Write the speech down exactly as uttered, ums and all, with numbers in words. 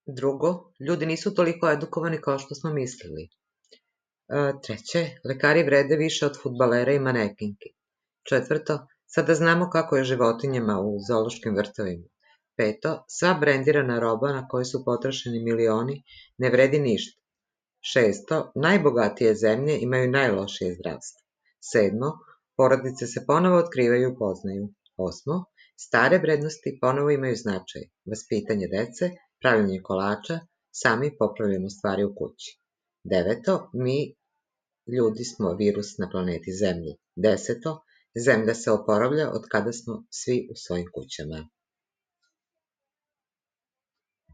Drugo, ljudi nisu toliko edukovani kao što smo mislili. E, treće, lekari vrede više od fudbalera i manekinki. Četvrto, sada znamo kako je životinjama u zoološkim vrtovima. Peto, sva brendirana roba na kojoj su potrošeni milioni ne vredi ništa. Šesto, najbogatije zemlje imaju najlošije zdravstvo. Sedmo, porodice se ponovo otkrivaju i upoznaju. Osmo, stare vrednosti ponovo imaju značaj. Vaspitanje dece, pravljenje kolača, sami popravljamo stvari u kući. Deveto, mi ljudi smo virus na planeti Zemlji. Deseto, Zemlja se oporavlja od kada smo svi u svojim kućama.